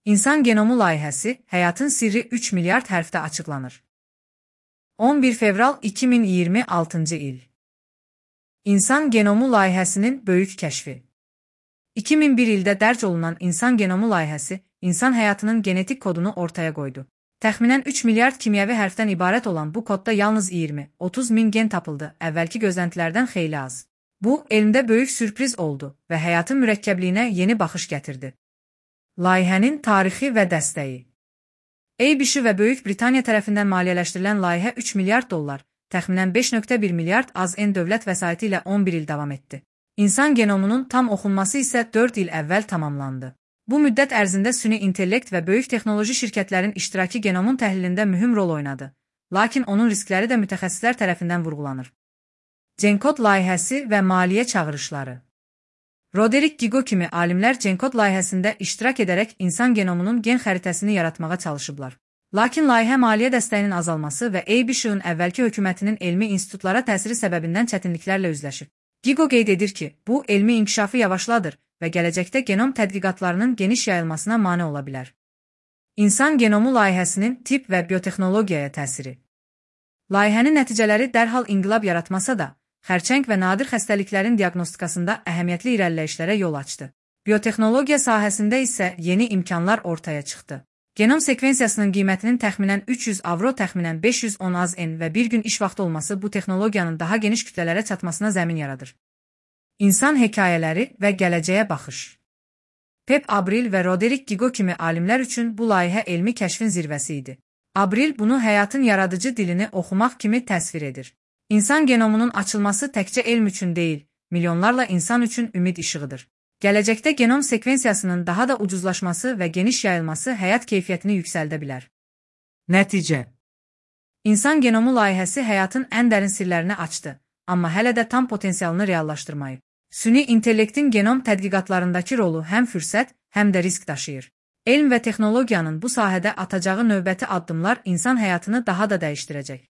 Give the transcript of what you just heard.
İnsan genomu layihəsi, həyatın sirri 3 milyard hərfdə açıqlanır. 11 fevral 2026-cı il. İnsan genomu layihəsinin böyük kəşfi. 2001 ildə dərc olunan insan genomu layihəsi, insan həyatının genetik kodunu ortaya qoydu. Təxminən 3 milyard kimyəvi hərfdən ibarət olan bu kodda yalnız 20-30 min gen tapıldı, əvvəlki gözləntilərdən xeyli az. Bu, elmdə böyük sürpriz oldu və həyatın mürəkkəbliyinə yeni baxış gətirdi. Layihənin tarixi və dəstəyi. ABC və Böyük Britaniya tərəfindən maliyyələşdirilən layihə 3 milyard dollar, təxminən 5,1 milyard AZN dövlət vəsaiti ilə 11 il davam etdi. İnsan genomunun tam oxunması isə 4 il əvvəl tamamlandı. Bu müddət ərzində süni intellekt və böyük texnoloji şirkətlərin iştirakı genomun təhlilində mühüm rol oynadı, lakin onun riskləri də mütəxəssislər tərəfindən vurğulanır. GenCode layihəsi və maliyyə çağırışları. Roderick Gigo kimi alimlər GenCode layihəsində iştirak edərək insan genomunun gen xəritəsini yaratmağa çalışıblar. Lakin layihə maliyyə dəstəyinin azalması və ABC-ın əvvəlki hökumətinin elmi institutlara təsiri səbəbindən çətinliklərlə üzləşib. Gigo qeyd edir ki, bu elmi inkişafı yavaşladır və gələcəkdə genom tədqiqatlarının geniş yayılmasına mane ola bilər. İnsan genomu layihəsinin tibb və biotexnologiyaya təsiri. Layihənin nəticələri dərhal inqilab yaratmasa da, xərçəng və nadir xəstəliklərin diaqnostikasında əhəmiyyətli irəliləyişlərə yol açdı. Biotexnologiya sahəsində isə yeni imkanlar ortaya çıxdı. Genom sekvensiyasının qiymətinin təxminən 300 avro, təxminən 510 AZN və bir gün iş vaxtı olması bu texnologiyanın daha geniş kütlələrə çatmasına zəmin yaradır. İnsan hekayələri və gələcəyə baxış. Pep Abril və Roderick Gigo kimi alimlər üçün bu layihə elmi kəşfin zirvəsi idi. Abril bunu həyatın yaradıcı dilini oxumaq kimi təsvir edir. İnsan genomunun açılması təkcə elm üçün deyil, milyonlarla insan üçün ümid işığıdır. Gələcəkdə genom sekvensiyasının daha da ucuzlaşması və geniş yayılması həyat keyfiyyətini yüksəldə bilər. Nəticə. İnsan genomu layihəsi həyatın ən dərin sirlərini açdı, amma hələ də tam potensialını reallaşdırmayıb. Süni intellektin genom tədqiqatlarındakı rolu həm fürsət, həm də risk daşıyır. Elm və texnologiyanın bu sahədə atacağı növbəti addımlar insan həyatını daha da dəyişdirəcək.